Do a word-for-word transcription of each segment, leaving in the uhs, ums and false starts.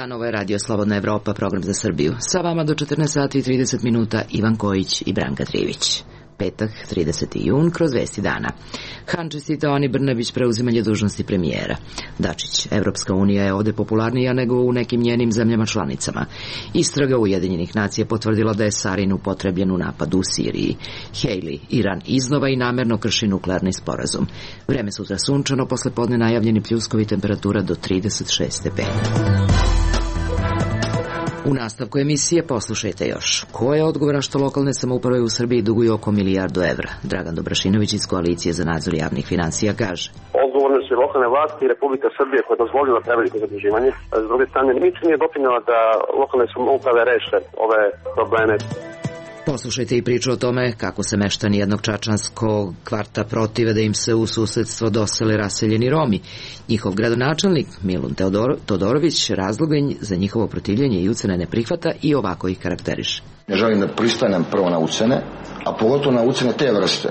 dan, ovo je Radio Slobodna Evropa, program za Srbiju. Sa vama do četrnaest sati i trideset minuta Ivan Kojić i Branka Trivić. Petak, trideseti jun, kroz vesti dana. Han čestitao Ani Brnabić preuzimanje dužnosti premijera. Dačić, Evropska unija je ovde popularnija nego u nekim njenim zemljama članicama. Istraga Ujedinjenih nacija potvrdila da je sarin upotrebljen u napadu u Siriji. Haley, Iran iznova i namerno krši nuklearni sporazum. Vreme sutra sunčano, posle podne najavljeni pljuskovi, temperatura do trideset šest stepeni. U nastavku emisije poslušajte još. Ko je odgovoran što lokalne samouprave u Srbiji duguju oko milijardu evra? Dragan Dobrašinović iz Koalicije za nadzor javnih finansija kaže. Odgovorne su lokalne vlasti i Republika Srbije koja je dozvolila preveliko zaduživanje. S druge strane, nič nije doprinjela da lokalne samouprave reše ove probleme. Poslušajte i priču o tome kako se meštani jednog čačanskog kvarta protive da im se u susedstvo dosele raseljeni Romi. Njihov gradonačelnik Milun Teodor, Todorović razloga za njihovo protivljenje i ucene ne prihvata i ovako ih karakteriše. Ne želim da pristanem prvo na ucene, a pogotovo na ucene te vrste,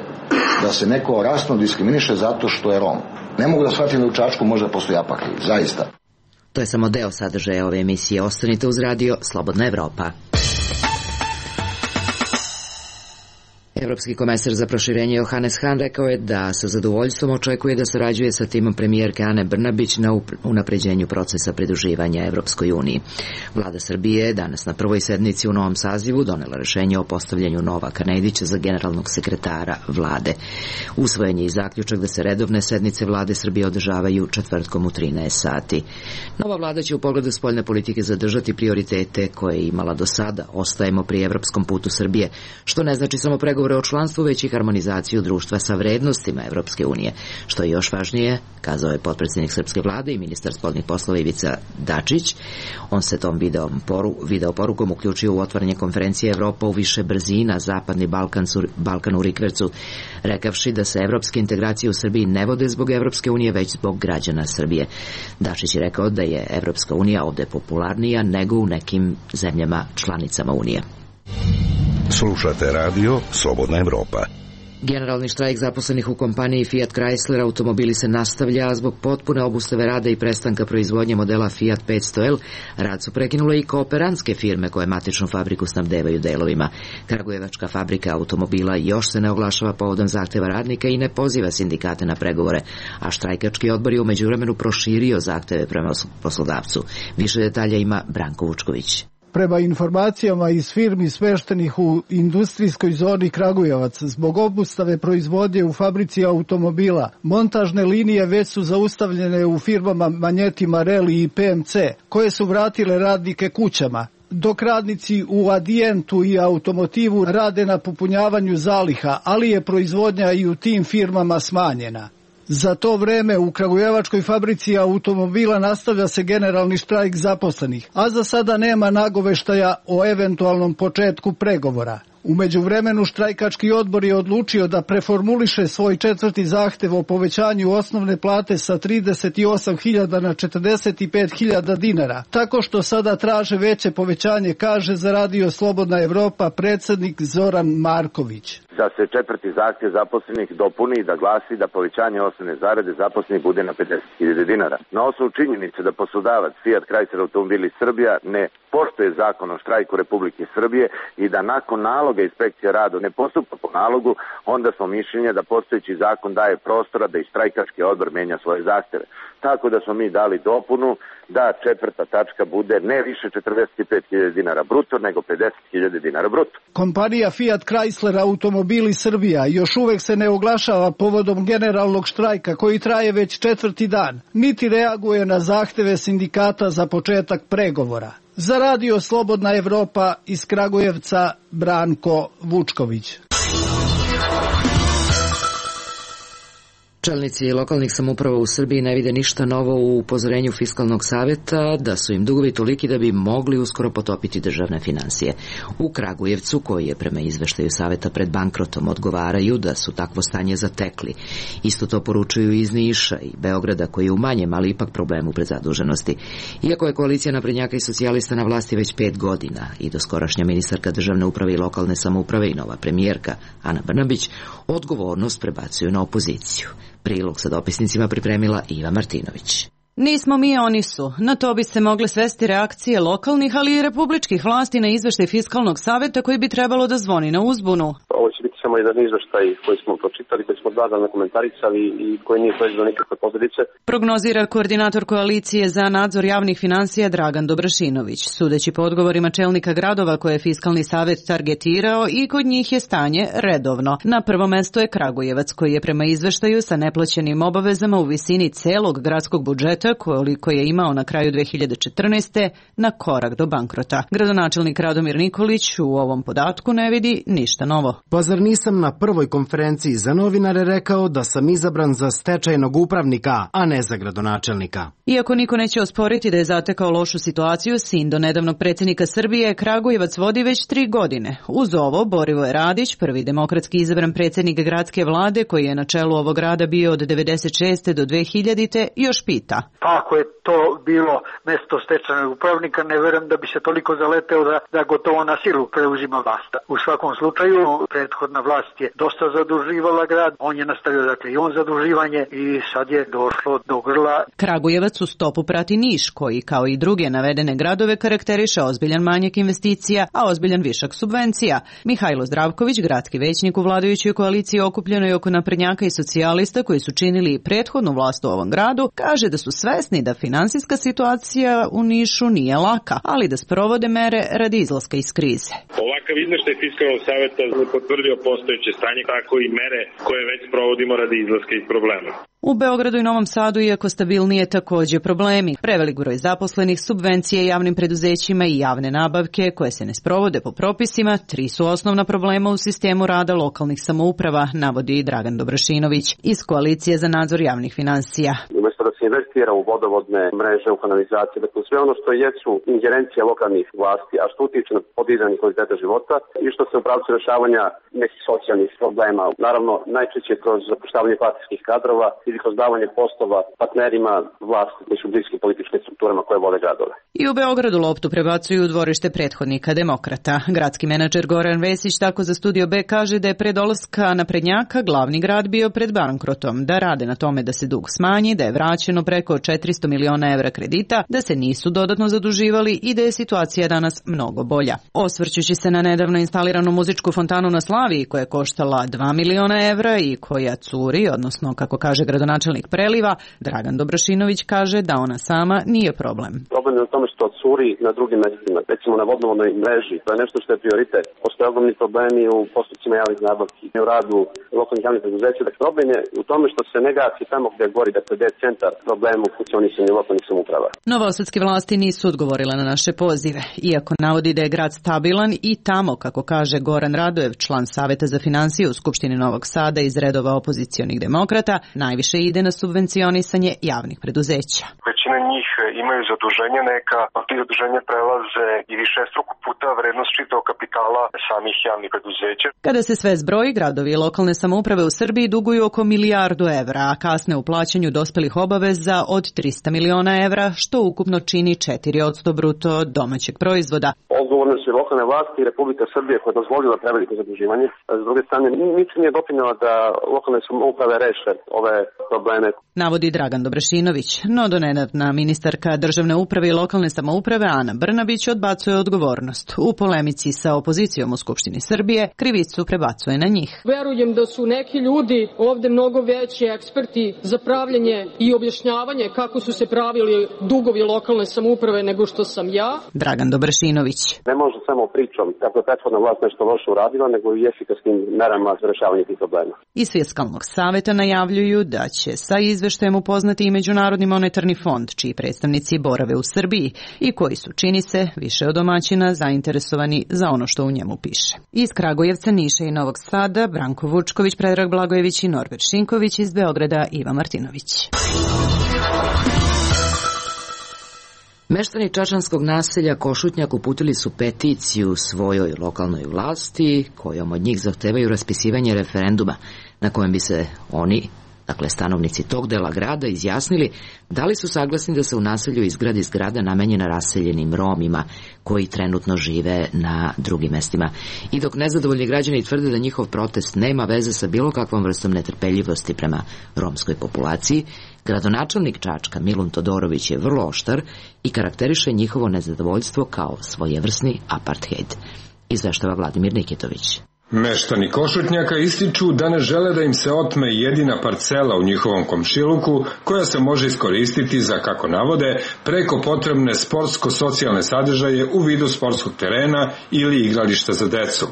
da se neko rasno diskriminiše zato što je Rom. Ne mogu da shvatim da u Čačku može postoji apatrid, zaista. To je samo deo sadržaja ove emisije. Ostanite uz radio Slobodna Evropa. Evropski komesar za proširenje Johannes Hahn rekao je da sa zadovoljstvom očekuje da sarađuje sa timom premijerke Ane Brnabić na unapređenju procesa pridruživanja Evropskoj uniji. Vlada Srbije je danas na prvoj sednici u novom sazivu donela rešenje o postavljanju Novaka Nedića za generalnog sekretara vlade. Usvojen je i zaključak da se redovne sednice vlade Srbije održavaju četvrtkom u trinaest sati. Nova vlada će u pogledu spoljne politike zadržati prioritete koje je imala do sada. Ostajemo pri evropskom putu Srbije, što ne znači samo pregovore o članstvu, već i harmonizaciju društva sa vrednostima Evropske unije. Što je još važnije, kazao je potpredsjednik srpske vlade i ministar spoljnih poslova Ivica Dačić. On se tom video, poru, video porukom uključio u otvaranje konferencije Evropa u više brzina, Zapadni Balkan, Balkan u rikvercu, rekavši da se evropske integracije u Srbiji ne vode zbog Evropske unije, već zbog građana Srbije. Dačić je rekao da je Evropska unija ovde popularnija nego u nekim zemljama članicama unije. Slušate radio Slobodna Evropa. Generalni štrajk zaposlenih u kompaniji Fiat Chrysler automobili se nastavlja, a zbog potpune obustave rada i prestanka proizvodnje modela Fiat petsto L, rad su prekinule i kooperantske firme koje matičnu fabriku snabdevaju delovima. Kragujevačka fabrika automobila još se ne oglašava povodom zahteva radnika i ne poziva sindikate na pregovore, a štrajkački odbor je u međuvremenu proširio zahteve prema poslodavcu. Više detalja ima Branko Vučković. Prema informacijama iz firmi smeštenih u industrijskoj zoni Kragujevac, zbog obustave proizvodnje u fabrici automobila, montažne linije već su zaustavljene u firmama Manjeti Marelli i P M C, koje su vratile radnike kućama, dok radnici u Adientu i Automotivu rade na popunjavanju zaliha, ali je proizvodnja i u tim firmama smanjena. Za to vreme u Kragujevačkoj fabrici automobila nastavlja se generalni štrajk zaposlenih, a za sada nema nagoveštaja o eventualnom početku pregovora. U međuvremenu štrajkački odbor je odlučio da preformuliše svoj četvrti zahtev o povećanju osnovne plate sa trideset osam hiljada na četrdeset pet hiljada dinara, tako što sada traže veće povećanje, kaže za radio Slobodna Evropa predsednik Zoran Marković. Da se četvrti zahtjev zaposlenih dopuni i da glasi da povećanje osnovne zarade zaposlenih bude na pedeset hiljada dinara. Na osnovu činjenice da poslodavac Fiat Chrysler Automobili Srbija ne poštuje zakon o štrajku Republike Srbije i da nakon naloga inspekcija rada ne postupa po nalogu, onda smo mišljenja da postojeći zakon daje prostora da i štrajkački odbor menja svoje zahteve. Tako da smo mi dali dopunu da četvrta tačka bude ne više četrdeset pet hiljada dinara bruto, nego pedeset hiljada dinara bruto. Kompanija Fiat Chrysler Automobili Srbija još uvek se ne oglašava povodom generalnog štrajka koji traje već četvrti dan, niti reaguje na zahteve sindikata za početak pregovora. Za radio Slobodna Evropa iz Kragujevca, Branko Vučković. Čelnici lokalnih samouprava u Srbiji ne vide ništa novo u upozorenju Fiskalnog saveta da su im dugovi toliki da bi mogli uskoro potopiti državne finansije. U Kragujevcu, koji je prema izveštaju saveta pred bankrotom, odgovaraju da su takvo stanje zatekli. Isto to poručuju iz Niša i Beograda, koji je u manjem, ali ipak problemu predzaduženosti. Iako je koalicija naprednjaka i socijalista na vlasti već pet godina i doskorašnja ministarka državne uprave i lokalne samouprave i nova premijerka Ana Brnabić odgovornost prebacuju na opoziciju. Prilog sa dopisnicima pripremila Iva Martinović. Nismo mi, oni su. Na to bi se mogle svesti reakcije lokalnih, ali i republičkih vlasti na izveštaj Fiskalnog saveta koji bi trebalo da zvoni na uzbunu. Ovo će biti samo jedan izveštaj koji smo pročitali, koji smo dadano komentarisali i koji nije proizveo nikakve posljedice. Prognozira koordinator koalicije za nadzor javnih finansija Dragan Dobrašinović. Sudeći po odgovorima čelnika gradova koje je Fiskalni savet targetirao, i kod njih je stanje redovno. Na prvo mesto je Kragujevac koji je prema izveštaju sa neplaćenim obavezama u visini celog gradskog budžeta koliko je imao na kraju dve hiljade četrnaeste. na korak do bankrota. Gradonačelnik Radomir Nikolić u ovom podatku ne vidi ništa novo. Pa zar nisam na prvoj konferenciji za novinare rekao da sam izabran za stečajnog upravnika, a ne za gradonačelnika? Iako niko neće osporiti da je zatekao lošu situaciju, sin do nedavnog predsjednika Srbije Kragujevac vodi već tri godine. Uz ovo, Borivoje Radić, prvi demokratski izabran predsjednik gradske vlade koji je na čelu ovog grada bio od devedeset šeste do dve hiljadite. još pita. Ako je to bilo mesto stečajnog upravnika, ne verujem da bi se toliko zaleteo da, da gotovo na silu preuzima vlast. U svakom slučaju, prethodna vlast je dosta zaduživala grad, on je nastavio dakle i on zaduživanje i sad je došlo do grla. Kragujevac u stopu prati Niš, koji kao i druge navedene gradove karakteriše ozbiljan manjak investicija, a ozbiljan višak subvencija. Mihajlo Zdravković, gradski većnik u vladajućoj koaliciji okupljenoj oko naprednjaka i socijalista koji su činili prethodnu vlast u ovom gradu, kaže da su svesni da finansijska situacija u Nišu nije laka, ali da sprovode mere radi izlaska iz krize. Ovakav izveštaj Fiskalnog saveta je potvrdio postojeće stanje, tako i mere koje već provodimo radi izlaska iz problema. U Beogradu i Novom Sadu, iako stabilnije, takođe problemi. Prevelik broj zaposlenih, subvencije javnim preduzećima i javne nabavke koje se ne sprovode po propisima, tri su osnovna problema u sistemu rada lokalnih samouprava, navodi Dragan Dobrašinović iz Koalicije za nadzor javnih finansija. Umesto da se investira u vodovodne mreže, u kanalizacije, dakle sve ono što jesu ingerencije lokalnih vlasti, a što utiče na podizanje kvaliteta života i što se u pravcu rešavanja nekih socijalnih problema, naravno najčešće kroz zapošljavanje partijskih kadrova ili kroz davanje poslova partnerima vlasti koji su bliski političkim strukturama koje vode gradove. I u Beogradu loptu prebacuju u dvorište prethodnika demokrata. Gradski menadžer Goran Vesić tako za Studio B kaže da je pre dolaska naprednjaka glavni grad bio pred bankrotom, da rade na tome da se dug smanji, da je vraćeno preko četiristo miliona evra kredita, da se nisu dodatno zaduživali i da je situacija danas mnogo bolja. Osvrćući se na nedavno instaliranu muzičku fontanu na Slaviji koja je koštala dva miliona evra i koja curi, odnosno kako kaže gradonačelnik Preliva, Dragan Dobrašinović kaže da ona sama nije problem. Problem je u tome što curi na drugim mestima, recimo na vodovodnoj mreži, to je nešto što je prioritet. Postoje ogromni problemi u postupcima javnih nabavki i u radu lokalnih javnih preduzeća. Dakle, problem je u tome što se ne gasi tamo gde gori, dakle gde je centar problema u funkcionisanju lokalnih samouprava. Novosadske vlasti nisu odgovorile na naše pozive, iako navodi da je grad stabilan i tamo, kako kaže Goran Radojev, član Saveta za finansije u Skupštini Novog Sada iz redova opozicionih demokrata, najviše ide na subvencionisanje javnih preduzeća. Većina njih imaju zaduženja neka, a ti zaduženja prelaze i višestruko puta vrednost čitavog kapitala samih javnih preduzeća. Kada se sve zbroji, gradovi i lokalne samouprave u Srbiji duguju oko milijardu evra, a kasne u plaćanju dospelih obaveza od trista miliona evra, što ukupno čini četiri posto bruto domaćeg proizvoda. Odgovorne su i lokalne vlasti i Republika Srbije koja je dozvolila preveliko zaduživanje. S druge strane, ničim nije doprinela da lokalne samouprave reše ove probleme. Navodi Dragan Dobrašinović, no donedavna ministarka državne uprave i lokalne samouprave Ana Brnabić odbacuje odgovornost. U polemici sa opozicijom u Skupštini Srbije krivicu prebacuje na njih. Verujem da su neki ljudi ovde mnogo veći eksperti za pravljenje i objašnjavanje kako su se pravili dugovi lokalne samouprave nego što sam ja. Dragan Dobrašinović. Ne može samo pričom kako je prethodna vlast nešto loše uradila, nego i efikasnim merama za rešavanje tih problema. Iz Fiskalnog saveta najavljuju da će sa izveštajem upoznati i Međunarodni monetarni fond, čiji predstavnici borave u Srbiji i koji su, čini se, više od domaćina zainteresovani za ono što u njemu piše. Iz Kragujevca, Niša i Novog Sada, Branko Vučković, Predrag Blagojević i Norbert Šinković, iz Beograda Iva Martinović. Meštani čačanskog naselja Košutnjak uputili su peticiju svojoj lokalnoj vlasti, kojom od njih zahtevaju raspisivanje referenduma na kojem bi se oni dakle stanovnici tog dela grada, izjasnili da li su saglasni da se u naselju izgradi zgrada namenjena raseljenim Romima koji trenutno žive na drugim mestima. I dok nezadovoljni građani tvrde da njihov protest nema veze sa bilo kakvom vrstom netrpeljivosti prema romskoj populaciji, gradonačelnik Čačka Milun Todorović je vrlo oštar i karakteriše njihovo nezadovoljstvo kao svojevrsni apartheid. Izveštava Vladimir Nikitović. Meštani Košutnjaka ističu da ne žele da im se otme jedina parcela u njihovom komšiluku koja se može iskoristiti za, kako navode, preko potrebne sportsko-socijalne sadržaje u vidu sportskog terena ili igrališta za decu.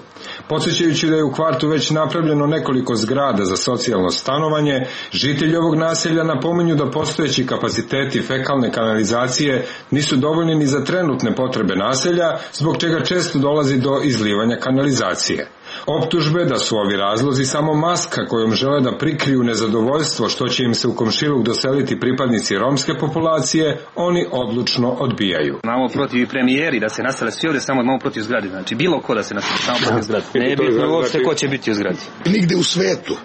Podsjećajući da je u kvartu već napravljeno nekoliko zgrada za socijalno stanovanje, žitelji ovog naselja napominju da postojeći kapaciteti fekalne kanalizacije nisu dovoljni ni za trenutne potrebe naselja, zbog čega često dolazi do izlivanja kanalizacije. Optužbe da su ovi razlozi samo maska kojom žele da prikriju nezadovoljstvo što će im se u komšiluk doseliti pripadnici romske populacije, oni odlučno odbijaju. Imamo protiv premijeri da se nasele svi ovdje, samo imamo protiv zgrade. Znači bilo ko da se nasele samo protiv zgrade. Ne je bitno uopšte ko će biti u zgradi. Nigde u svetu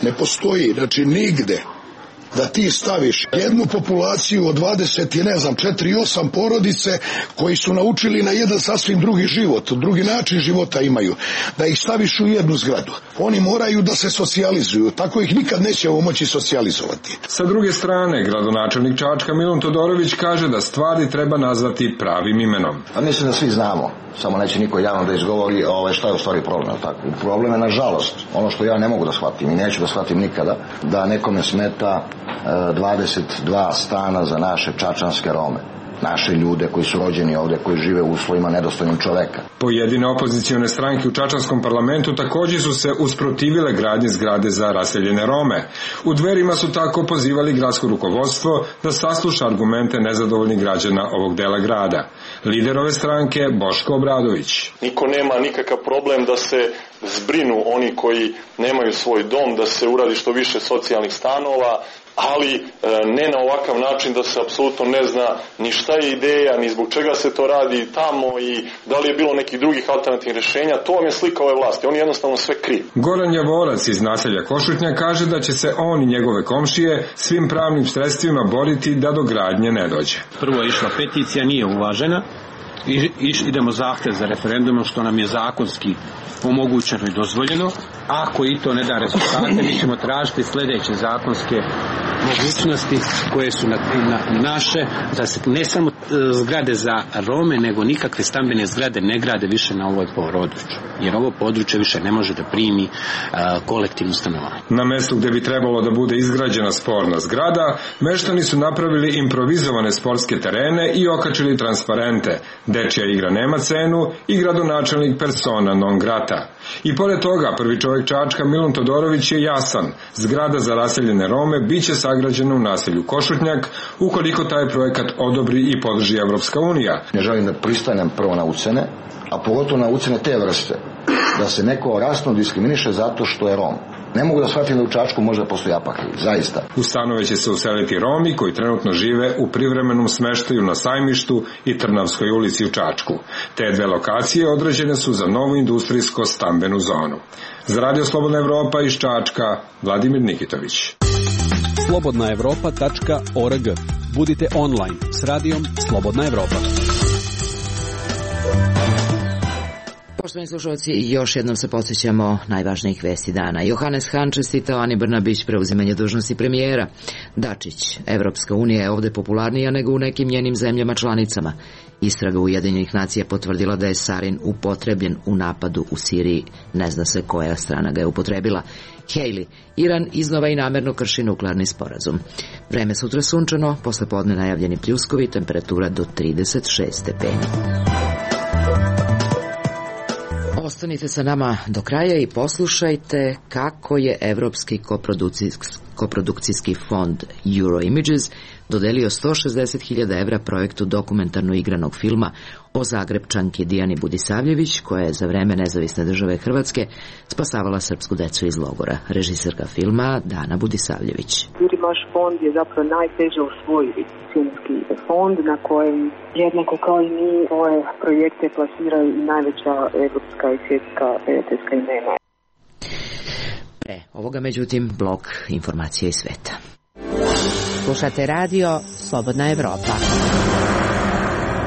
ne postoji, znači nigde, da ti staviš jednu populaciju od dvadeset i ne znam četiri i osam porodice koji su naučili na jedan sasvim drugi život, drugi način života imaju, da ih staviš u jednu zgradu. Oni moraju da se socijalizuju, tako ih nikad nećemo moći socijalizovati. Sa druge strane, gradonačelnik Čačka Milun Todorović kaže da stvari treba nazvati pravim imenom. A mislim da svi znamo, samo neće niko javno da izgovori ove, šta je u stvari problem. Tako? Problem je, nažalost, ono što ja ne mogu da shvatim i neću da shvatim nikada, da nekome smeta dvadeset dva stana za naše čačanske Rome, naše ljude koji su rođeni ovde, koji žive u uslovima nedostojnim čoveka. Pojedine opozicione stranke u čačanskom parlamentu također su se usprotivile gradnje zgrade za raseljene Rome. U Dverima su tako pozivali gradsko rukovodstvo da sasluša argumente nezadovoljnih građana ovog dela grada. Lider ove stranke Boško Obradović. Niko nema nikakav problem da se zbrinu oni koji nemaju svoj dom, da se uradi što više socijalnih stanova, ali ne na ovakav način da se apsolutno ne zna ni šta je ideja, ni zbog čega se to radi tamo i da li je bilo nekih drugih alternativnih rješenja. To vam je slika ove vlasti, oni jednostavno sve kriju. Goran Javorac iz naselja Košutnja kaže da će se on i njegove komšije svim pravnim sredstvima boriti da do gradnje ne dođe. Prvo je išla peticija, nije uvažena. I, iš, idemo zahtev za referendumom što nam je zakonski omogućeno i dozvoljeno. Ako i to ne da rezultate, mi ćemo tražiti sljedeće zakonske mogućnosti koje su na, na, naše, da se ne samo zgrade za Rome, nego nikakve stambene zgrade ne grade više na ovoj području. Jer ovo područje više ne može da primi a, kolektivno stanovanje. Na mjestu gdje bi trebalo da bude izgrađena sporna zgrada, meštani su napravili improvizovane sportske terene i okačili transparente. Dečija igra nema cenu i gradonačelnik persona non grata. I pored toga, prvi čovjek Čačka Milun Todorović je jasan. Zgrada za raseljene Rome bit će sagrađena u naselju Košutnjak ukoliko taj projekat odobri i podrži Evropska unija. Ne želim da pristanem prvo na ucene, a pogotovo na ucene te vrste, da se neko rasno diskriminiše zato što je Rom. Ne mogu da shvatim da u Čačku može postoji apartheid, zaista. U stanove će se useliti Romi koji trenutno žive u privremenom smeštaju na Sajmištu i Trnavskoj ulici u Čačku. Te dve lokacije određene su za novu industrijsko stambenu zonu. Za Radio Slobodna Evropa iz Čačka, Vladimir Nikitović. slobodna evropa tačka org. Budite online s radijom Slobodna Evropa. Poštovani slušalci, još jednom se podsjećamo najvažnijih vesti dana. Johannes Hahn čestitao Ani Brnabić preuzimanje dužnosti premijera. Dačić, Evropska unija je ovde popularnija nego u nekim njenim zemljama članicama. Istraga Ujedinjenih nacija potvrdila da je sarin upotrebljen u napadu u Siriji. Ne zna se koja strana ga je upotrebila. Haley, Iran iznova i namerno krši nuklearni sporazum. Vreme sutra sunčano, posle podne najavljeni pljuskovi, temperatura do trideset šest stepeni. Ostanite sa nama do kraja i poslušajte kako je Evropski koprodukcijski fond Euroimages dodelio sto šezdeset hiljada evra projektu dokumentarno igranog filma o Zagrebčanki Dijani Budisavljević, koja je za vreme nezavisne države Hrvatske spasavala srpsku decu iz logora. Režiserka filma Dana Budisavljević. Vaš fond je zapravo najteže osvojiti filmski fond na kojem jednako kao i mi svoje projekte plasiraju i najveća evropska i svjetska prijateljska imena. Pre ovoga, međutim, blok informacija iz sveta. Slušate radio Slobodna Evropa.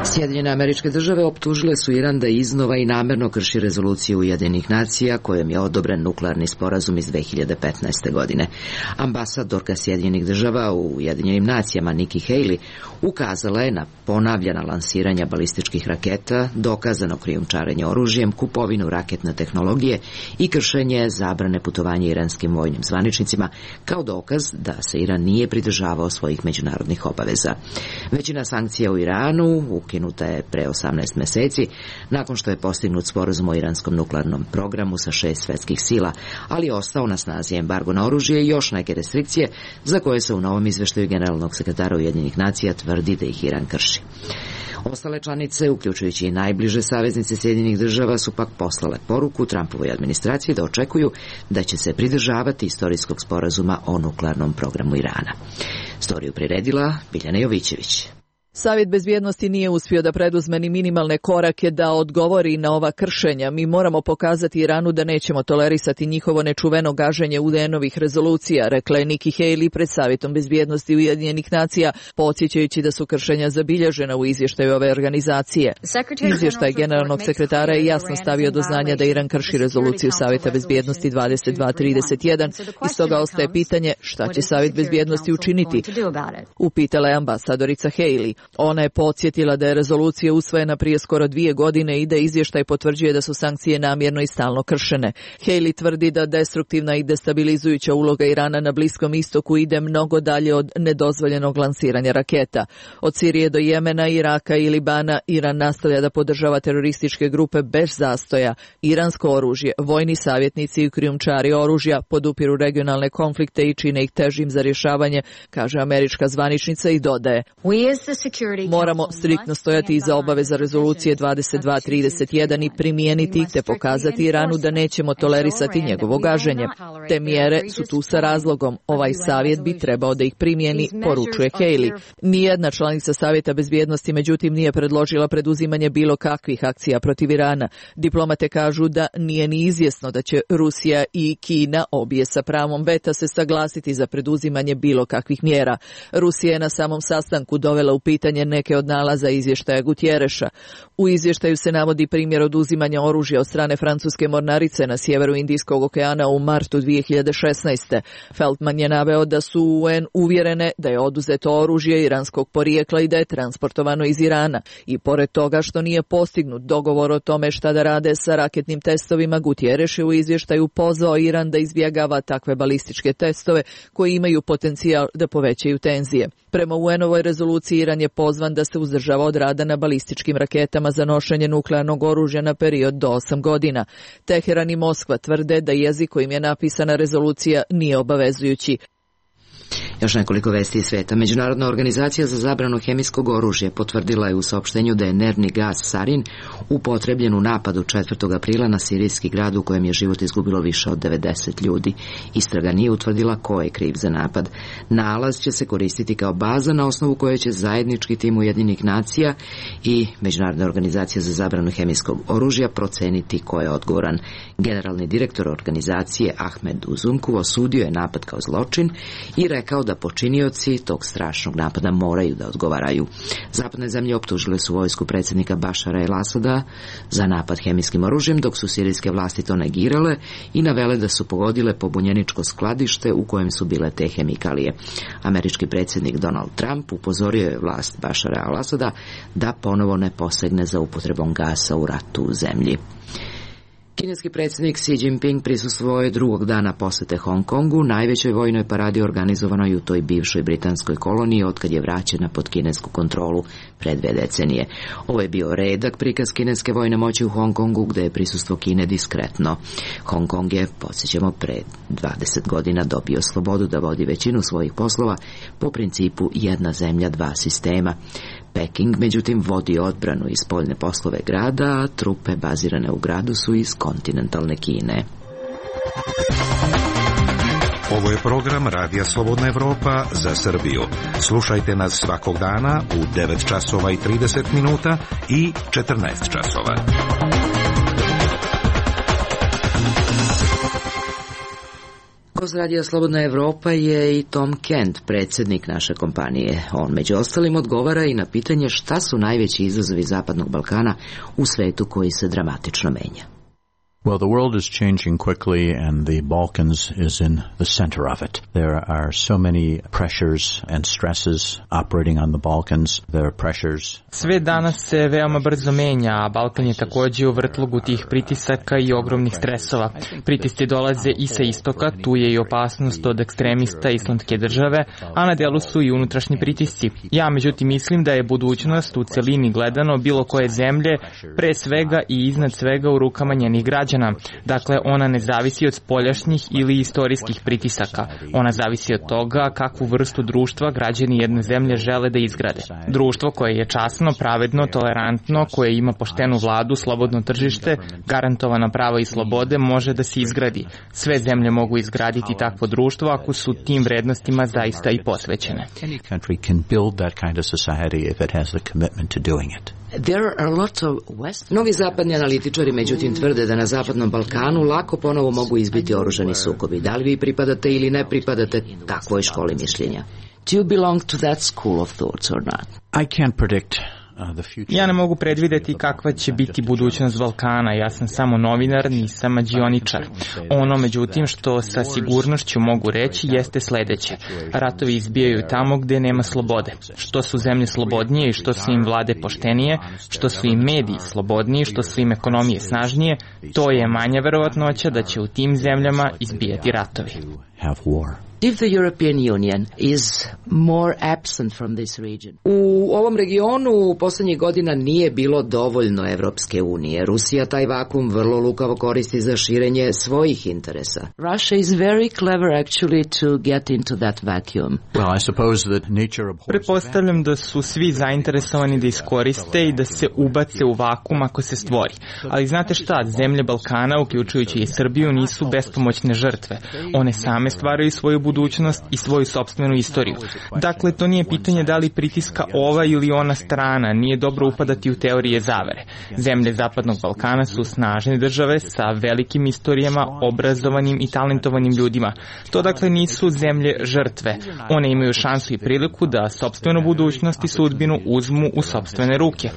Sjedinjene Američke Države optužile su Iran da iznova i namerno krši rezoluciju Ujedinjenih nacija kojom je odobren nuklearni sporazum iz dve hiljade petnaeste. godine. Ambasadorka Sjedinjenih Država u Ujedinjenim nacijama Nikki Haley ukazala je na ponavljana lansiranja balističkih raketa, dokazano krijumčarenje oružjem, kupovinu raketne tehnologije i kršenje zabrane putovanja iranskim vojnim zvaničnicima kao dokaz da se Iran nije pridržavao svojih međunarodnih obaveza. Većina sankcija u Iranu ukinuta je pre osamnaest meseci, nakon što je postignut sporazum o iranskom nuklearnom programu sa šest svetskih sila, ali je ostao na snazi embargo na oružje i još neke restrikcije za koje se u novom izveštaju generalnog sekretara Ujedinjenih nacija tvrdi da ih Iran krši. Ostale članice, uključujući i najbliže saveznice Sjedinjenih Država, su pak poslale poruku Trumpovoj administraciji da očekuju da će se pridržavati istorijskog sporazuma o nuklearnom programu Irana. Storiju priredila Biljana Jovićević. Savjet bezbjednosti nije uspio da preduzme ni minimalne korake da odgovori na ova kršenja. Mi moramo pokazati Iranu da nećemo tolerisati njihovo nečuveno gaženje U D N-ovih rezolucija, rekla je Nikki Haley pred Savjetom bezbjednosti Ujedinjenih nacija, podsjećajući da su kršenja zabilježena u izvještaju ove organizacije. Izvještaj generalnog sekretara je jasno stavio do znanja da Iran krši rezoluciju Savjeta bezbjednosti dvadeset dva trideset jedan i stoga ostaje pitanje šta će Savjet bezbjednosti učiniti, upitala je ambasadorica Haley. Ona je podsjetila da je rezolucija usvojena prije skoro dvije godine i da izvještaj potvrđuje da su sankcije namjerno i stalno kršene. Haley tvrdi da destruktivna i destabilizujuća uloga Irana na Bliskom istoku ide mnogo dalje od nedozvoljenog lansiranja raketa. Od Sirije do Jemena, Iraka i Libana Iran nastavlja da podržava terorističke grupe bez zastoja. Iransko oružje, vojni savjetnici i krijumčari oružja podupiru regionalne konflikte i čine ih težim za rješavanje, kaže američka zvaničnica i dodaje: moramo striktno stojati iza obaveza rezolucije dvadeset dva trideset jedan i primijeniti ih te pokazati Iranu da nećemo tolerisati njegovo gaženje. Te mjere su tu sa razlogom. Ovaj savjet bi trebao da ih primijeni, poručuje Haley. Nijedna članica Savjeta bezbjednosti međutim nije predložila preduzimanje bilo kakvih akcija protiv Irana. Diplomate kažu da nije ni izvjesno da će Rusija i Kina, obje sa pravom veta, se saglasiti za preduzimanje bilo kakvih mjera. Rusija je na samom sastanku dovela u pitanje neke od nalaza izvještaja Gutjereša. U izvještaju se navodi primjer oduzimanja oružja od strane francuske mornarice na sjeveru Indijskog okeana u martu dvije hiljade šesnaeste. Feldman je naveo da su U N uvjerene da je oduzeto oružje iranskog porijekla i da je transportovano iz Irana. I pored toga što nije postignut dogovor o tome šta da rade sa raketnim testovima, Gutjereš je u izvještaju pozvao Iran da izbjegava takve balističke testove koji imaju potencijal da povećaju tenzije. Prema U N-ovoj rezoluciji Iran je pozvan da se uzdržava od rada na balističkim raketama za nošenje nuklearnog oružja na period do osam godina. Teheran i Moskva tvrde da jezik kojim je napisana rezolucija nije obavezujući. Još nekoliko vesti iz sveta. Međunarodna organizacija za zabranu hemijskog oružja potvrdila je u saopštenju da je nervni gas sarin upotrebljen u napadu četvrtog aprila na sirijski grad u kojem je život izgubilo više od devedeset ljudi. Istraga nije utvrdila ko je kriv za napad. Nalaz će se koristiti kao baza na osnovu koje će zajednički tim Ujedinjenih nacija i Međunarodna organizacija za zabranu hemijskog oružja proceniti ko je odgovoran. Generalni direktor organizacije Ahmed Uzunku osudio je napad kao zločin i rekao da počinioci tog strašnog napada moraju da odgovaraju. Zapadne zemlje optužile su vojsku predsjednika Bašara el-Asada za napad hemijskim oružjem, dok su sirijske vlasti to negirale i navele da su pogodile pobunjeničko skladište u kojem su bile te hemikalije. Američki predsjednik Donald Trump upozorio je vlast Bašara el-Asada da ponovo ne posegne za upotrebom gasa u ratu u zemlji. Kineski predsjednik Xi Jinping prisustvovao je drugog dana posete Hong Kongu, najvećoj vojnoj paradi organizovanoj u toj bivšoj britanskoj koloniji otkad je vraćena pod kinesku kontrolu pre dve decenije. Ovo je bio redak prikaz kineske vojne moći u Hong Kongu, gde je prisustvo Kine diskretno. Hong Kong je, podsjećamo, pre dvadeset godina dobio slobodu da vodi većinu svojih poslova po principu jedna zemlja, dva sistema. Peking, međutim, vodi odbranu i spoljne poslove grada, a trupe bazirane u gradu su iz kontinentalne Kine. Ovo je program Radija Slobodna Evropa za Srbiju. Slušajte nas svakog dana u devet časova i trideset minuta i četrnaest časova. Gost Radija Slobodna Evropa je i Tom Kent, predsjednik naše kompanije. On među ostalim odgovara i na pitanje šta su najveći izazovi Zapadnog Balkana u svetu koji se dramatično menja. Well, the world is changing quickly and the Balkans is in the center of it. There are so many pressures and stresses operating on the Balkans. There are pressures. Sve danas se veoma brzo menja, a Balkan je također u vrtlogu tih pritisaka i ogromnih stresova. Pritisci dolaze i sa istoka, tu je i opasnost od ekstremista islamske države, a na delu su i unutrašnji pritisci. Ja međutim mislim da je budućnost u celini gledano bilo koje zemlje pre svega i iznad svega u rukama njenih građana. Dakle, ona ne zavisi od spoljašnjih ili istorijskih pritisaka. Ona zavisi od toga kakvu vrstu društva građani jedne zemlje žele da izgrade. Društvo koje je časno, pravedno, tolerantno, koje ima poštenu vladu, slobodno tržište, garantovana prava i slobode može da se izgradi. Sve zemlje mogu izgraditi takvo društvo ako su tim vrednostima zaista i posvećene. Mnogi zapadni analitičari međutim tvrde da na Zapadnom Balkanu lako ponovo mogu izbiti oružani sukobi. Da li vi pripadate ili ne pripadate takvoj školi mišljenja? Do you belong to that school of thoughts or not? I can't predict. Ja ne mogu predvideti kakva će biti budućnost Balkana, ja sam samo novinar, nisam mađioničar. Ono, međutim, što sa sigurnošću mogu reći jeste sledeće. Ratovi izbijaju tamo gde nema slobode. Što su zemlje slobodnije i što su im vlade poštenije, što su im mediji slobodniji, što su im ekonomije snažnije, to je manja verovatnoća da će u tim zemljama izbijati ratovi. If the European Union is more absent from this region. U ovom regionu u posljednjih godina nije bilo dovoljno Evropske unije. Rusija taj vakum vrlo lukavo koristi za širenje svojih interesa. Russia is very clever actually to get into that vacuum. Well, I suppose that nature abhors. Pretpostavljam da su svi zainteresovani da iskoriste i da se ubace u vakum ako se stvori. Ali znate šta, zemlje Balkana, uključujući i Srbiju, nisu bespomoćne žrtve. One same stvaraju svoju budućnost i svoju sopstvenu istoriju. Dakle, to nije pitanje da li pritiska ova ili ona strana, nije dobro upadati u teorije zavere. Zemlje Zapadnog Balkana su snažne države sa velikim istorijama, obrazovanim i talentovanim ljudima. To dakle nisu zemlje žrtve. One imaju šansu i priliku da sopstvenu budućnost i sudbinu uzmu u sopstvene ruke.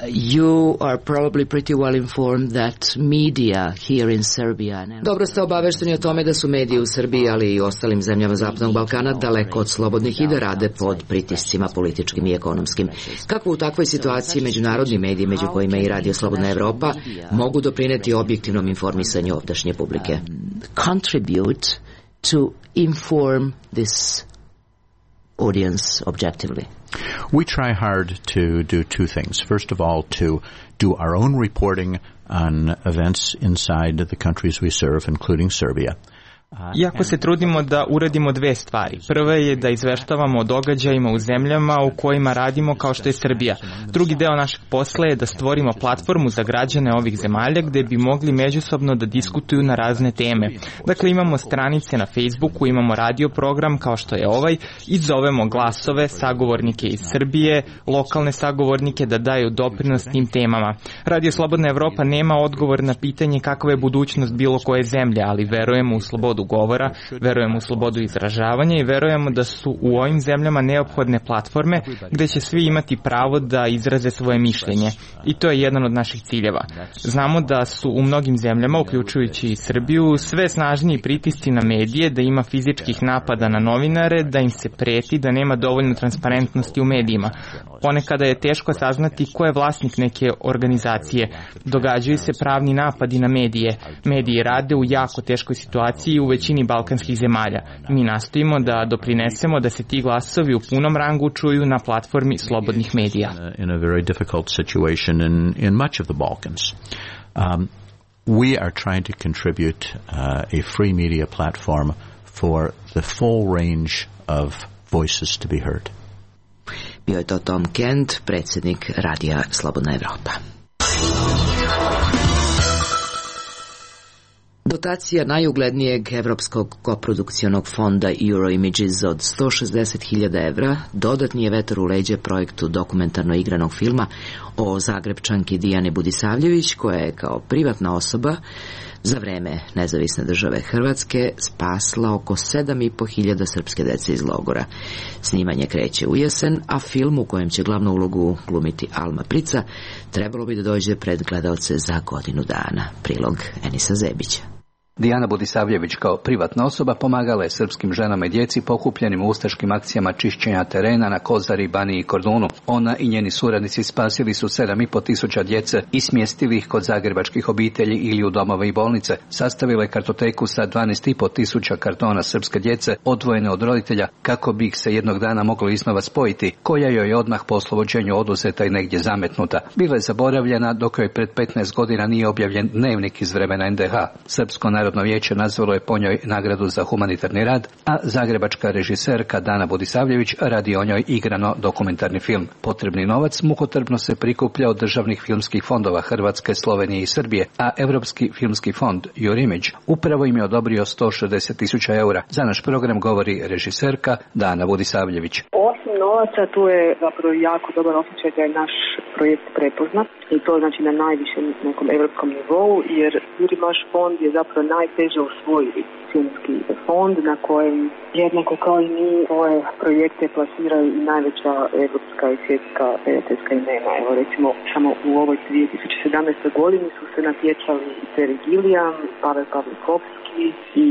You are probably pretty well informed that media here in Serbia. Dobro ste obavešteni o tome da su mediji u Srbiji, ali i ostalim zemljama Zapadnog Balkana daleko od slobodnih i da rade pod pritiscima političkim i ekonomskim. Kako u takvoj situaciji međunarodni mediji, među kojima i Radio Slobodna Evropa, mogu doprineti objektivnom informisanju ovdašnje publike? Contribute to inform this audience objectively. We try hard to do two things. First of all, to do our own reporting on events inside the countries we serve, including Serbia. Iako se trudimo da uradimo dve stvari. Prva je da izveštavamo o događajima u zemljama u kojima radimo kao što je Srbija. Drugi deo našeg posla je da stvorimo platformu za građane ovih zemalja gde bi mogli međusobno da diskutuju na razne teme. Dakle, imamo stranice na Facebooku, imamo radio program kao što je ovaj i zovemo glasove, sagovornike iz Srbije, lokalne sagovornike da daju doprinos tim temama. Radio Slobodna Evropa nema odgovor na pitanje kakva je budućnost bilo koje zemlje, ali verujemo u slobodu govora, verujemo u slobodu izražavanja i verujemo da su u ovim zemljama neophodne platforme gde će svi imati pravo da izraze svoje mišljenje. I to je jedan od naših ciljeva. Znamo da su u mnogim zemljama, uključujući i Srbiju, sve snažniji pritisci na medije, da ima fizičkih napada na novinare, da im se preti, da nema dovoljno transparentnosti u medijima. Ponekada je teško saznati ko je vlasnik neke organizacije. Događaju se pravni napadi na medije. Mediji rade u jako teškoj situaciji u većini balkanskih zemalja. Mi nastojimo da doprinesemo da se ti glasovi u punom rangu čuju na platformi slobodnih medija. In a very difficult situation in, in much of the Balkans. Um, we are trying to contribute uh, a free media platform for the full range of voices to be heard. Bio je to Tom Kent, predsjednik Radija Slobodna Evropa. Dotacija najuglednijeg evropskog koprodukcionog fonda Euroimages od sto šezdeset hiljada evra dodatni je vetar u leđe projektu dokumentarno igranog filma o Zagrebčanki Dijani Budisavljević, koja je kao privatna osoba za vreme nezavisne države Hrvatske spasla oko sedam i po hiljada srpske dece iz logora. Snimanje kreće u jesen, a film u kojem će glavnu ulogu glumiti Alma Prica trebalo bi da dođe pred gledaoce za godinu dana. Prilog Enisa Zebića. Dijana Budisavljević kao privatna osoba pomagala je srpskim ženama i djeci pokupljenim u ustaškim akcijama čišćenja terena na Kozari, Baniji i Kordunu. Ona i njeni suradnici spasili su sedam i po tisuća djece i smjestili ih kod zagrebačkih obitelji ili u domove i bolnice. Sastavila je kartoteku sa dvanaest i po tisuća kartona srpske djece odvojene od roditelja kako bi ih se jednog dana moglo iznova spojiti, koja joj je odmah po oslobođenju oduzeta i negdje zametnuta. Bila je zaboravljena dok joj pred petnaest godina nije objavljen dnevnik iz vremena en de ha. Srpsko narodno vijeće nazvalo je po njoj nagradu za humanitarni rad, a zagrebačka režiserka Dana Budisavljević radi o njoj igrano dokumentarni film. Potrebni novac mukotrpno se prikuplja od državnih filmskih fondova Hrvatske, Slovenije i Srbije, a Europski filmski fond Your Image upravo im je odobrio sto šezdeset tisuća eura. Za naš program govori režiserka Dana Budisavljević. Osim novaca, tu je zapravo jako dobar osjećaj da je naš projekt prepoznat i to znači na najvišem nekom europskom nivou, jer Jurimaš fond je zapravo najteže osvojiti filmski fond na kojem jednako kao i mi svoje projekte plasiraju i najveća evropska i svjetska prijateljska imena. Evo recimo samo u ovoj dvije tisuće sedamnaestoj godini su se natjecali Terry Gilliam, Pavel Pavlikovski i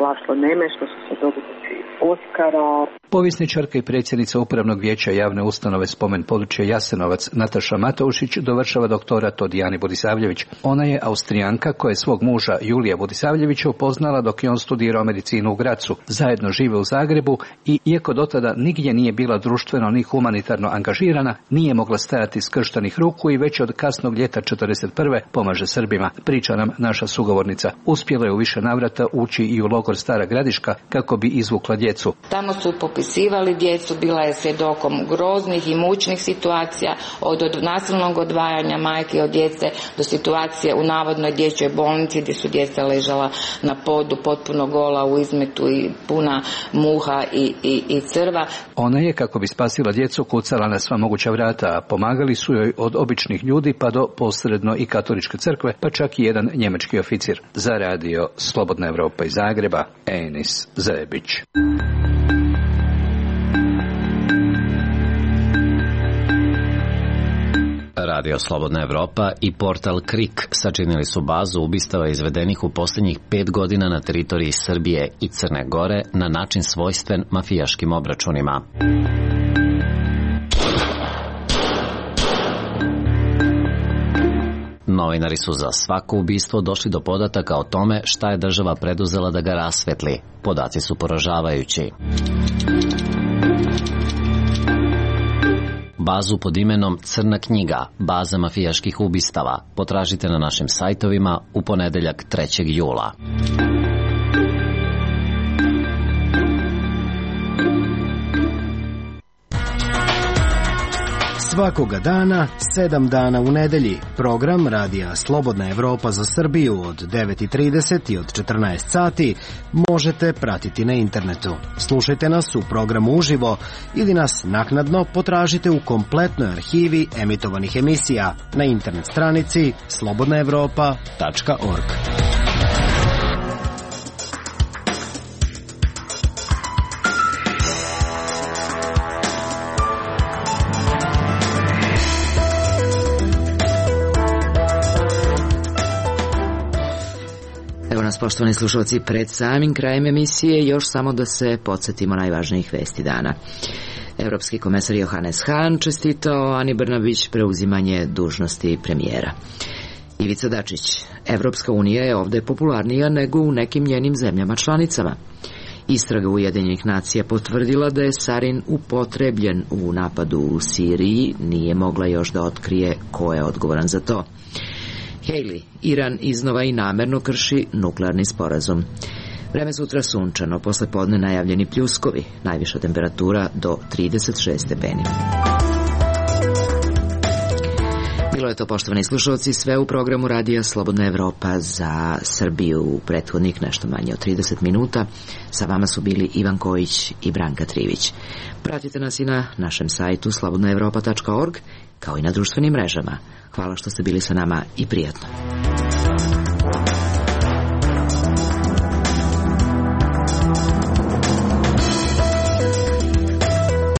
Laslo Nemeš, što su se dobitnici Oskara. Povjesničarka i predsjednica Upravnog vijeća javne ustanove Spomen područje Jasenovac Nataša Mataušić dovršava doktorat od Dijane Budisavljević. Ona je Austrijanka koja je svog muža Julija Budisavljevića upoznala dok je on studirao medicinu u Gracu. Zajedno žive u Zagrebu i iako dotada nigdje nije bila društveno ni humanitarno angažirana, nije mogla stajati skrštenih ruku i već od kasnog ljeta četrdeset prve pomaže Srbima. Priča nam naša sugovornica. Uspjela je u više navrata ući i u logor Stara Gradiška kako bi izvukla djecu. Tamo su popisivali djecu, bila je svjedokom groznih i mučnih situacija, od, od nasilnog odvajanja majke od djece do situacije u navodnoj dječjoj bolnici gdje su djeca ležala na podu potpuno gola u izmetu i puna muha i, i, i crva. Ona je, kako bi spasila djecu, kucala na sva moguća vrata, a pomagali su joj od običnih ljudi pa do posredno i katoličke crkve, pa čak i jedan njemački oficir. Za radio Slobodna Evropa iz Zagreba, Enis Zebić. Radio Slobodna Evropa i portal Krik sačinili su bazu ubistava izvedenih u posljednjih pet godina na teritoriji Srbije i Crne Gore na način svojstven mafijaškim obračunima. Novinari su za svako ubistvo došli do podataka o tome šta je država preduzela da ga rasvetli. Podaci su poražavajući. Bazu pod imenom Crna knjiga, baza mafijaških ubistava, potražite na našim sajtovima u ponedeljak trećeg jula. Svakoga dana, sedam dana u nedelji, program Radija Slobodna Evropa za Srbiju od devet i trideset i od četrnaest sati možete pratiti na internetu. Slušajte nas u programu uživo ili nas naknadno potražite u kompletnoj arhivi emitovanih emisija na internet stranici slobodna evropa tačka org. Poštovani slušalci, pred samim krajem emisije još samo da se podsjetimo najvažnijih vesti dana. Evropski komesar Johannes Hahn čestitao Ani Brnabić preuzimanje dužnosti premijera. Ivica Dačić, Evropska unija je ovde popularnija nego u nekim njenim zemljama članicama. Istraga Ujedinjenih nacija potvrdila da je sarin upotrebljen u napadu u Siriji, nije mogla još da otkrije ko je odgovoran za to. Haley, Iran iznova i namerno krši nuklearni sporazum. Vreme sutra sunčano, posle podne najavljeni pljuskovi, najviša temperatura do trideset šest stepeni. Bilo je to, poštovani slušalci, sve u programu Radija Slobodna Evropa za Srbiju u prethodnih nešto manje od trideset minuta. Sa vama su bili Ivan Kojić i Branka Trivić. Pratite nas i na našem sajtu slobodna evropa tačka org, kao i na društvenim mrežama. Hvala što ste bili sa nama i prijatno.